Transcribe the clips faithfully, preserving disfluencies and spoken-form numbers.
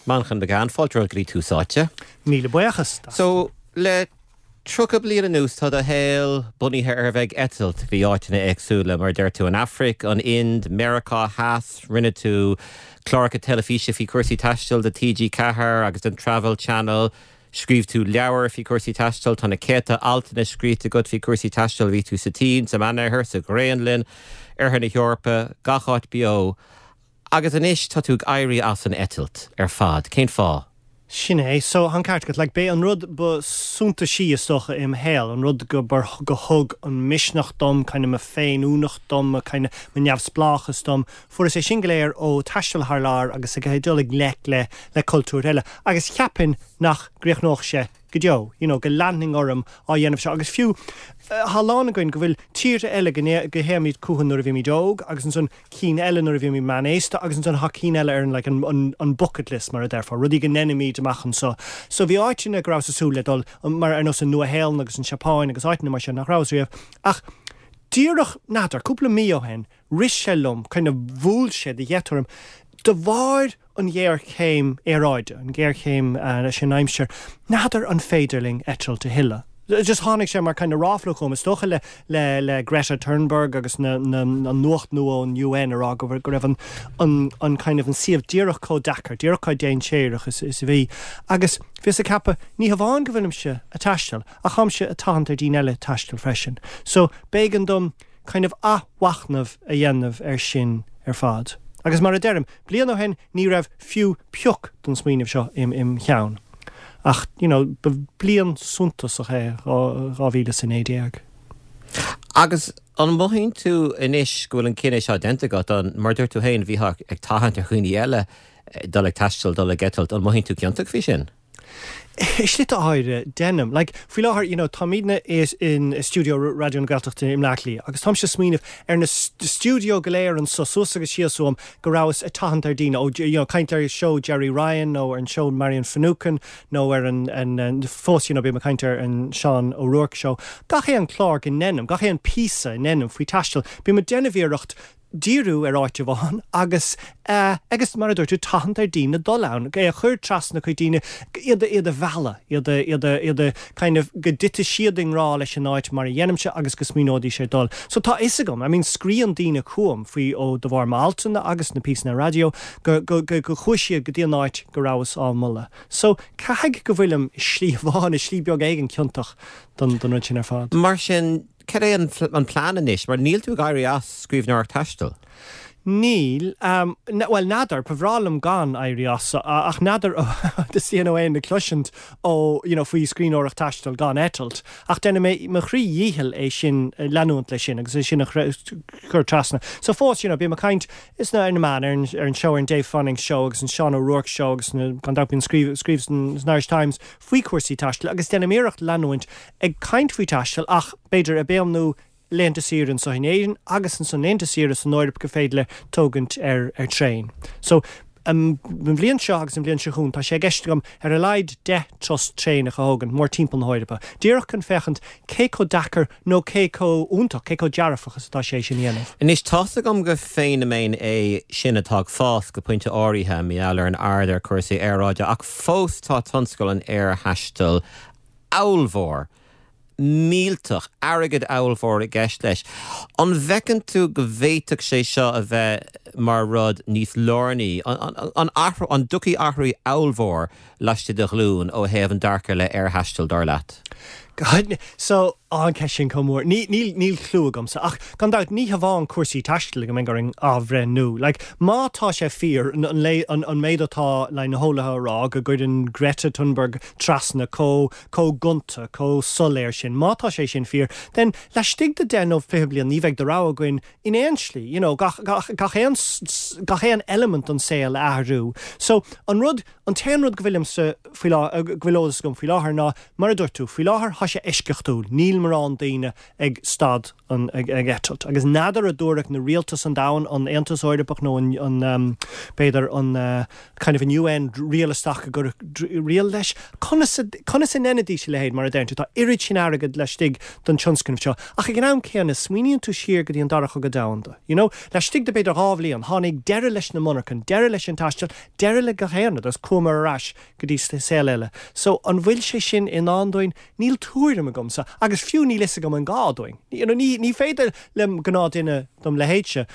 Manchán Magan, fáilte go dtí Tús Áite. Míle buíochas. So le tríocha bliain anuas tá do shaol bunaithe ar bheith ag eitilt bhí áiteanna éagsúla mar deir tú an Afraic, an Ind, Meiriceá Theas, rinne tú cláracha teilifíse faoi chúrsaí taistil do TG Ceathair agus den Travel Channel, Scríobh tú leabhar faoi chúrsaí taistil tá na céadta altanna scríte agat faoi chúrsaí taistil bhí tú sa tSín, sa Mheánoirthear, sa Ghraonlainn, Oirthear na hEorpa, gach áit beo. Agus anois tá tú ag éirí as an eitilt ar fad, cén fáth? Sin é, so an ceart agat, like, b'é an rud ba suntasaí is dócha im shaol, an rud go bar go thug an misneach dom, kind of mo féiniúlacht dom, mo kind of mo neamhspleáchas dom, fuaireas é sin go léir ó taisteal thar lear agus ag dul i ngleic le le cultúr eile. Agus cheapfainn nach gcríochnódh sé go deo, you know, go leanfainn orm á dhéanamh seo. Agus fiú tá a lán againn go bhfuil tíortha eile go go théimid chucu nuair a bhímid óg agus ansan cinn eile nuair a bhímid meánaosta agus ansan tá cinn eile ar an like, an, an, an bucket list mar a déarfá, rudaí go ndéanfaimid amach anseo. So bhí áiteanna go rabhas ag súil le dul mar ar nós an Nua-Shéalainn agus an Seapáin agus áiteanna mar sin nach rabhas riamh. Ach díreach n'fheadar, cúpla mí ó shin, rith sé liom, kind of bhuail sé de gheit orm, de bharr an ghéarchéim aeráide, an ghéarchéim uh, leis an aimsir, n'fheadar an féidir linn eitilt a thuilleadh. Just tháinig sé mar kind of ráfla chugam is dócha le le le Greta Thunberg agus na, na, an nuacht nua an UN a rá go go raibh an, an, an kind of an suíomh díreach chomh deacair, díreach chomh dainséarach is, is a bhí. Agus bhíos ag ceapadh ní hamháin go bhfuilimse ag taisteal, ach táimse ag tathant ar daoine eile taisteal freisin. So b'éigean dom kind of athmhachnamh a dhéanamh ar sin ar fad. Agus mar a deirim, bliain ó shin ní raibh fiú pioc den smaoineamh seo im, im cheann. Ach you know, ba bliain suntasach é dhá mhíle is a naoi déag. Agus an mothaíonn tú anois go bhfuil an cinneadh seo déanta agat an mar dúirt tú féin bhí ag tathant ar dhaoine eile dul ag taisteal dul ag eitilt, an mothaíonn tú ciontach faoi sin? I slite áirithe déanaim. Like, faoi láthair you know, táimidne is in studio Raidió na Gaeltachta i mBleá Cliath, agus táimse ag smaoineamh ar na studio go léir anseo suas agus síos uaim go rabhas ag tathant ar daoine ó you know, caint ar show Jerry Ryan nó ar an show Marion Finucane nó ar an, an, an fós you know, bím ag caint ar an Sean O'Rourke show. Gach aon chlár go ndéanaim, gach aon píosa a ndéanaim faoi taisteal, bím ag déanamh iarracht díriú ar áit amháin agus uh, agus mar a dúirt tú tathant ar daoine dul ann, é a chur trasna chuig daoine iad iad a mhealladh, iad iad iad kind of go dtitfidh siad i ngrá leis an áit mar a dhéanaimse agus go smaoineoidís ar dul. So tá fhios agam, I mean scríobhann daoine chugam faoi ó de bharr m'altanna agus na píosanna raidió go go go go chuaigh siad go dtí an áit go rabhas á moladh. So caithfidh go bhfuilim slí amháin i slí beag éigin ciontach don don rud sin ar fad. Mar sin cad é an, an plean anois, mar níl tú ag éirí as scríbhneoireacht taistil. Níl, um, well n'fheadar, ba bhreá liom gan éirí as ach n'fheadar dteastaíonn ó aon cloisint ó you know, faoi scríbhneoireacht taistil gan eitilt, ach déanfaidh mé mo chroí dhícheall é sin leanúint leis sin agus é sin a chur trasna. So fós you know, bím ag caint is na ar na meáin ar an, ar an show ar an Dave Fanning show agus an Sean O'Rourke show agus na gan dabht scríobh scríobh san Irish Times faoi chúrsaí taistil agus déanaim iarracht leanúint ag caint faoi taisteal ach b'fhéidir a béamnú laethanta saoire anseo in Éirinn agus ansan laethanta saoire san Eoraip go féidir le tógaint ar ar traein. So um, an bhliain seo agus an bhliain seo chugainn tá sé i gceist agam ar a laghad deich turas traenach a thógaint mór timpeall na hEorpa. Díreach chun féachaint cé chomh deacair nó cé chomh iontach, cé chomh dearfach is atá sé sin dhéanamh. Anois tá agam go feiniméan é sin atá ag fás go pointe áirithe mar gheall ar an ardú ar cúrsaí aeráide ach fós tá tionscal an aerthaistil ollmhór. millteach airgead ollmhór i gceist leis. An bhfeiceann tú go bhféadfadh sé seo a bheith mar rud níos lárnaí an athrú an dtiocfaidh athrú ollmhór laistigh de ghlúin ó thaobh an dearcadh le aerthaisteal dar leat. God, so an ceist sin chomh mór. Ní níl níl clue agamsa ach gan dabht ní hamháin cúrsaí taistil go mbeidh orainn athbhreithniú. Like, má tá sé fíor an, an, an, an méid atá le na heolaithe a rá go gcuireann Greta Thunberg trasna chomh chomh gonta chomh soiléir sin. Má tá sé sin fíor, then laistigh de deich nó fiche bliain ní bheidh de rogha againn in aon slí, you know, gach, gach, gach aon gach aon element an saol a athrú. So an rud an t-aon rud go bhfuilimse faoi go bhfuil eolas agam faoi láthair ná mar a dúirt tú faoi láthair tá sé eisceachtúil, níl mórán daoine ag stad an, ag, ag eitilt. Agus n'fheadar an dtabharfadh na rialtais an domhain, an Aontas Eorpach nó an, an um, b'fhéidir an uh, kind of an U N riail isteach go riail leis. Conas a, conas a ndéanfaidís a leithéid, mar a deireann tú, tá oiread sin airgead laistigh den tionscnamh seo. Ach ag an am céanna, smaoiníonn tú siar go dtí an Dara Cogadh Domhanda. You know, laistigh de b'fhéidir dhá bhliain, tháinig deireadh leis na monarchana, deireadh leis an taisteal, deireadh le gach aon rud, agus chuamar ar ais go dtí saol eile. So an bhfuil sé sin i ndán dúinn? Níl tuairim agamsa, agus fiú níl fhios agam an gá dúinn. You know, ní, ní féidir le gnáthduine dom leithéidse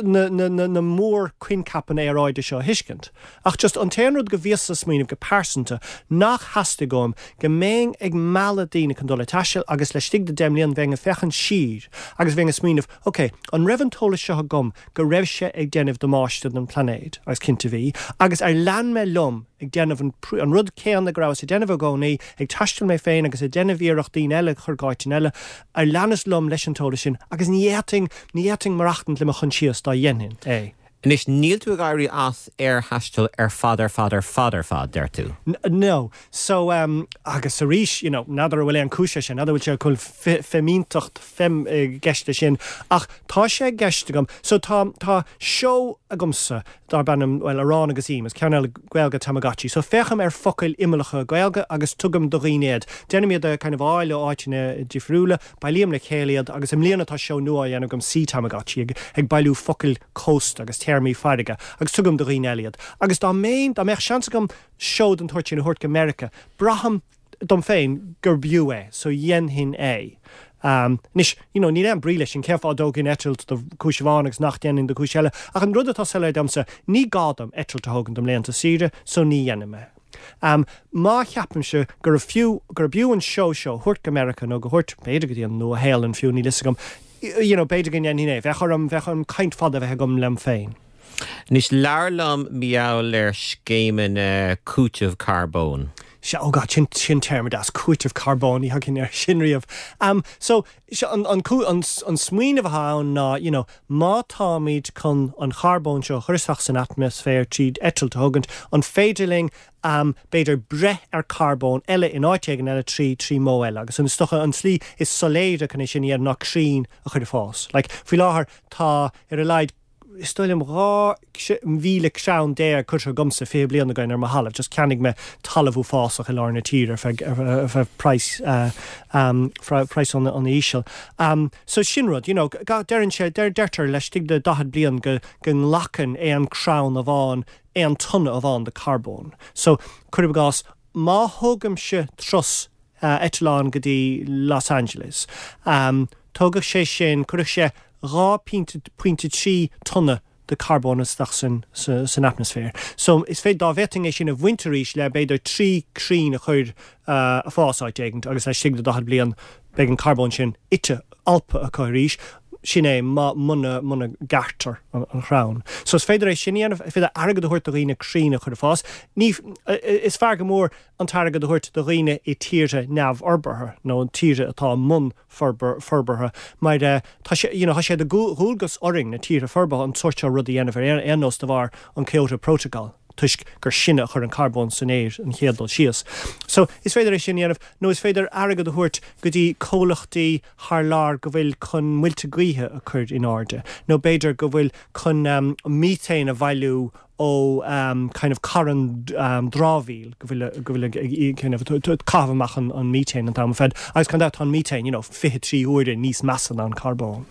na, na, na, na mórchoincheapanna aeráide seo a thuiscint. Ach just an t-aon rud go bhíos ag smaoineamh go pearsanta nach theastaigh uaim go mbeinn ag mealladh daoine chun dul ag taisteal agus laistigh de deich mbliana bheinn ag féachaint siar agus bheinn ag smaoineamh, "Ok, an raibh an t-eolas seo agam go raibh sé ag déanamh damáiste don phláinéad?" Agus cinnte bhí, agus ar lean mé liom ag déanamh an, an rud céanna go rabhas ag déanamh i gcónaí, ag taisteal mé féin agus ag déanamh iarracht daoine eile chur go áiteanna eile, ar leanas liom leis an t-eolas sin? Agus ní fhéadfainn ní fhéadfainn maireachtaint le mo choinsias dá dhéanfainn é. Anois, níl tú ag éirí as aerthaisteal ar fad ar fad ar fad ar fad, deir tú. No. So um, agus arís, you know, n'fheadar an bhfuil aon chúis sin, n'fheadar bhfuil sé chun fimínteacht fem i gceist sin, ach tá sé i gceist agam. So tá tá seó agamsa darb ainm, well, Arán agus Im, is ceann Gaeilge Tamagotchi. So féachaim ar focail imeallacha Gaeilge agus tugaim do dhaoine iad. Déanaim iad a kind of fháil ó áiteanna difriúla, bailím le chéile iad, agus i mbliana tá seó nua á dhéanamh agam, Sea Tamagotchi, ag, ag bailiú focail cósta agus téarmaí farraige agus tugaim do dhaoine eile iad. Agus dá mbeinn dá mbeadh seans agam seó den tsórt sin a thabhairt go Meiriceá, braithim dom féin gur b'fhiú é, so dhéanfainn é. Um, Anois, you know, níl aon brí leis sin, cén fáth a dtógfainn eitilt do chúis amháin agus nach ndéanfainn do chúis eile, ach an rud atá soiléir domsa, ní gá dom eitilt a thógaint dom laethanta saoire, so ní dhéanfaidh mé. Um, má cheapaimse gur fiú gur b'fhiú an seó seo thabhairt go Meiriceá nó go thabhairt b'fhéidir go dtí an Nua-Shéalainn fiú, níl fhios agam, you know, b'fhéidir go ndéanfainn é, bheadh orm bheadh orm caint fada bheith agam lem féin. Anois, labhair liom mar gheall ar scéimeanna cúiteamh carbóin. Se ó God, sin sin téarma deas, cúiteamh carbóin, ní thagainn air sin riamh. Um, so an, an, an, an smaoineamh atá ann ná, you know, má táimid chun an charbón seo chur isteach san atmaisféar tríd eitilt a thógaint, an féidir linn um, b'fhéidir breith ar carbón eile in áit éigin eile trí trí modh eile, agus an stocha an tslí is soiléire chun é sin a dhéanamh ná crainn a chur ag fás. Like, faoi láthair tá ar a laghad is dóigh liom dhá mhíle crann déag curtha agamsa fiche bliain ó shin ar mo thalamh, just cheannaigh mé talamh uafásach i lár na tíre ar feadh price uh, um, price an an íseal. Um, so sin rud, you know, deireann sé deir deirtear laistigh de daichead bliain go go nglacann aon crann amháin aon tonna amháin de carbón. So cuir i gcás, má thógaimse turas uh, eitleán go dtí Los Angeles, Um, tógadh sé sin chuirfeadh sé dhá pointe trí tonna de carbón isteach san san atmaisféar. So is féidir dá bhféadfainn é sin a bhaint arís le b'fhéidir trí crann a chur uh, ag fás áit éigin agus laistigh de daichead bliain beidh an carbón sin ite alptha acu arís, sin é má muna muna ngearrtar an, an chrann. So is féidir é sin dhéanamh, féidir airgead a thabhairt do dhaoine crainn a chur ag fás. Ní is fearr go mór an t-airgead a thabhairt do dhaoine i tíortha neamhfhorbartha nó an tíortha atá mbun forbartha, mar uh, tá sé you know, sé de dhualgas orainn, na tíortha forbartha, an sórt seo rud a dhéanamh ar aon nós de bharr an Kyoto Protocol, toisc gur sinne a chuir an carbón san aer an chéad dul síos. So is féidir é sin dhéanamh, nó is féidir airgead a thabhairt go dtí comhlachtaí thar lear go bhfuil chun muilte gaoithe a chur in airde, nó b'fhéidir go bhfuil chun um, methane a bhailiú ó um, kind of carn um, dramhaíl go bhfuil go bhfuil kind of caitheamh amach an, an methane an t-am fad agus gan tá an methane you know, fiche trí huaire níos measa ná an carbón.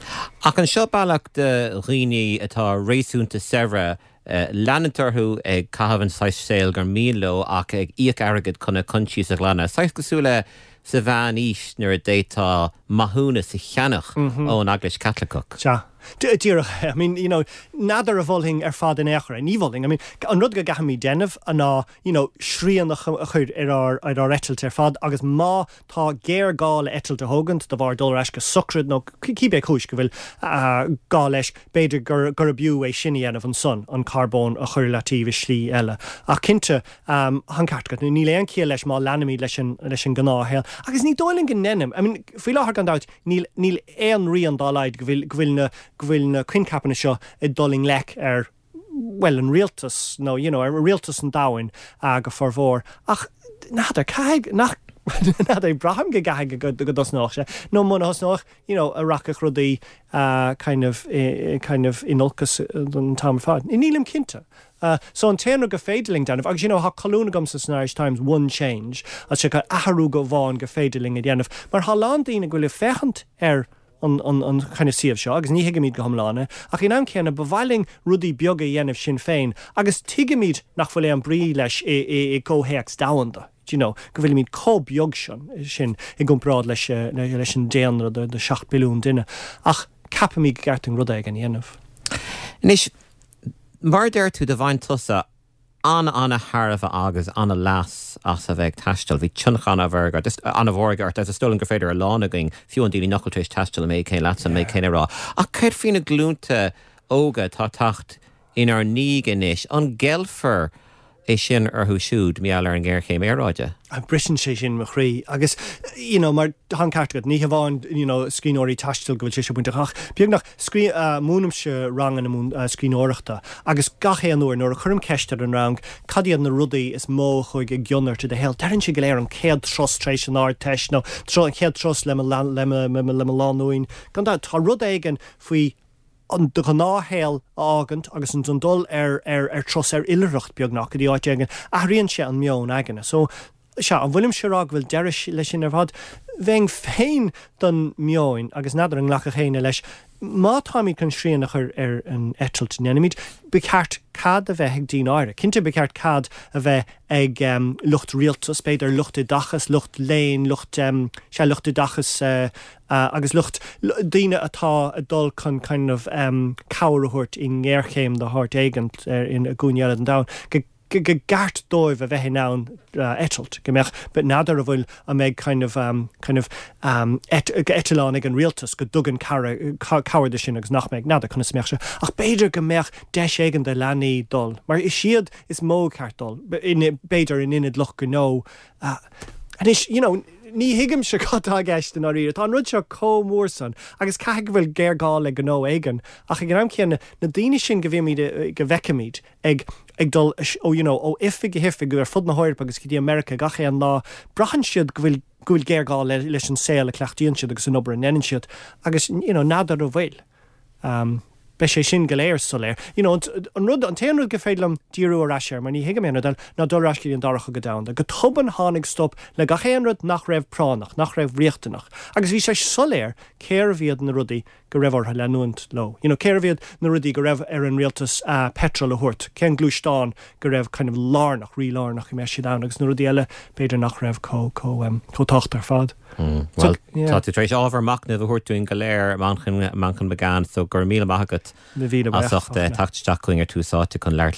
Ach an seo bealach do dhaoine atá réasúnta saibhir Uh, leanúint orthu ag caitheamh an saghas saoil gur mian leo ach ag íoc airgead chun a coinsias a ghlanadh? Saghas cosúil le sa mheánaois nuair a d'fhéadfá maithiúnas a cheannach mm -hmm. ón Eaglais Chaitliceach. Sea. Díreach, I mean, you know, n'fheadar an mholfainn ar fad in aon chor, ní mholfainn. I mean, an rud go gcaithfimid déanamh ná you know, srian a chur ar ár ar ár eitilt ar fad, agus má tá géarghá le eitilt a thógaint de bharr dul ar ais go sochraid nó cibé cúis go bhfuil uh, gá leis, b'fhéidir gur gur b'fhiú é sin a dhéanamh ansan an carbón a chur le taobh i slí eile. Ach cinnte um, an ceart, níl aon chiall leis má leanaimid leis an leis an ngnáthshaol. Agus ní dóigh liom go ndéanaim. I mean, faoi láthair gan dabht níl níl aon rian dá laghad go bhfuil go bhfuil na go bhfuil na coincheapanna seo ag dul i ngleic ar well an rialtas nó you know, ar rialtas an domhain uh, go formhór. Ach n'fheadar, caithfidh nach N'fheadar braithim go gcaithfidh go go dtosnódh sé nó muna thosnódh you know, a rachadh rudaí uh, kind of uh, kind of in olcas don t-am ar fad. Nílim cinnte. Uh, so an t-aon rud go féidir linn déanamh, agus you know, tá colún agam san Irish Times one change, a sé athrú amháin go féidir linn a dhéanamh, mar tá lán daoine go bhfuil ag féachaint ar an, an, an kind of suíomh seo, agus ní thuigimid go hiomlán é, ach in am céanna ba mhaith linn rudaí beaga a dhéanamh sin féin, agus tuigimid nach bhfuil aon brí leis i, i, i gcomhthéacs domhanda. You know, go bhfuilimid chomh beag sin sin i gcomparáid leis, leis an daonra de, de seacht billiún duine, ach ceapaimid go gceart rud éigin a dhéanamh. Anois mar deir tú do bhain tusa an an-thairbhe agus an-leas as a bheith ag taisteal, bhí tionchar an-mhór an-mhór ort is dóigh liom gur féidir a lán againn fiú an daoine nach bhfuil tar éis taisteal mé cé leat an mé cén rá. Ach céard faoi na glúnta óga atá ag teacht inár ndiaidh anois an gceilfear é sin orthu siúd mar gheall ar an ngéarchéim aeráide. Briseann sé sin mo chroí agus you know, mar tá an ceart agat ní hamháin you know, scríbhneoirí taistil go bhfuil sé se bainteach ach beagnach uh, múinimse ranganna múin uh, scríbhneoireachta agus gach aon uair nuair a chuirim ceist ar an rang cad iad na rudaí is mó a chuaigh i gcion ort i do shaol. Deireann siad go léir an chéad turas tar éis an Ardteist nó an chéad turas le le le mo lánúin gan tá rud éigin faoi an do ghnáthshaol a fhágaint agus an don dul ar ar ar turas ar oilithreacht beagnach go dtí áit éigin athraíonn sé an meon aigne. So sea an bhfuilim sé rá go bhfuil deireadh leis sin ar fad, Bheinn féin don meon agus n'fheadar an nglacfadh éinne leis. Má táimid chun srian a chur ar an eitilt ndéanaimid, ba cheart cead a bheith ag daoine áirithe. Cinnte ba cheart cead a bheith ag um, lucht rialtas, b'fhéidir lucht oideachas, lucht léinn, lucht um, sé lucht oideachas uh, uh, agus lucht daoine atá ag dul chun kind of um, cabhair a thabhairt i ngéarchéim de shórt éigin uh, in a gcúinne eile den domhan. Go go gceart dóibh a bheith in ann uh, eitilt go mbeadh but n'fheadar a bhfuil a mbeidh kind of um, kind of um, et, eitleán ag an rialtas go dtugann cabhair de sin agus nach mbeidh n'fheadar conas mbeadh sé ach b'fhéidir go mbeadh deis éigin do leanaí dul mar is iad is mó ceart dul b'fhéidir in ionad lucht gnó uh, Anois you know, ní thuigim sé cad atá i gceist in áirithe Tá an rud seo chomh mór san agus caithfidh go bhfuil géarghá le gnó éigin ach ag an am céanna na daoine sin go bhímid go bhfeicimid ag ag dul ó you know, ó oifig go hoifig ar fud na hEorpa agus go dtí America gach aon lá braitheann siad go bhfuil go bhfuil géarghá le, leis an saol a chleachtaíonn siad agus an obair a ndéanann siad agus you know, n'fheadar an bhfuil. Um, Beidh sé sin go léir soiléir. You know, an rud an t-aon rud go féidir liom díriú ar ais air, mar ní thuigim aon rud ná dul ar ais an dara cogadh domhanda. Go tobann tháinig stop le gach aon rud nach raibh práinneach, nach raibh riachtanach. Agus bhí sé soiléir cérbh iad na rudaí go raibh orthu leanúint leo. You know, cérbh iad na rudaí go raibh ar an rialtas uh, petrol a thabhairt, cén gluaisteán go raibh kind of lárnach rí lárnach i mbeidh siad ann agus na rudaí eile b'fhéidir nach raibh chomh chomh um, chomh tábhachtach ar fad. Mm, well tá tú tar éis ábhar machnaimh a thabhairt dúinn go léir Manchán Manchán Magan so gur míle maith agat Na mhíle as ucht teacht isteach chugainn ar Tús Áite chun labhairt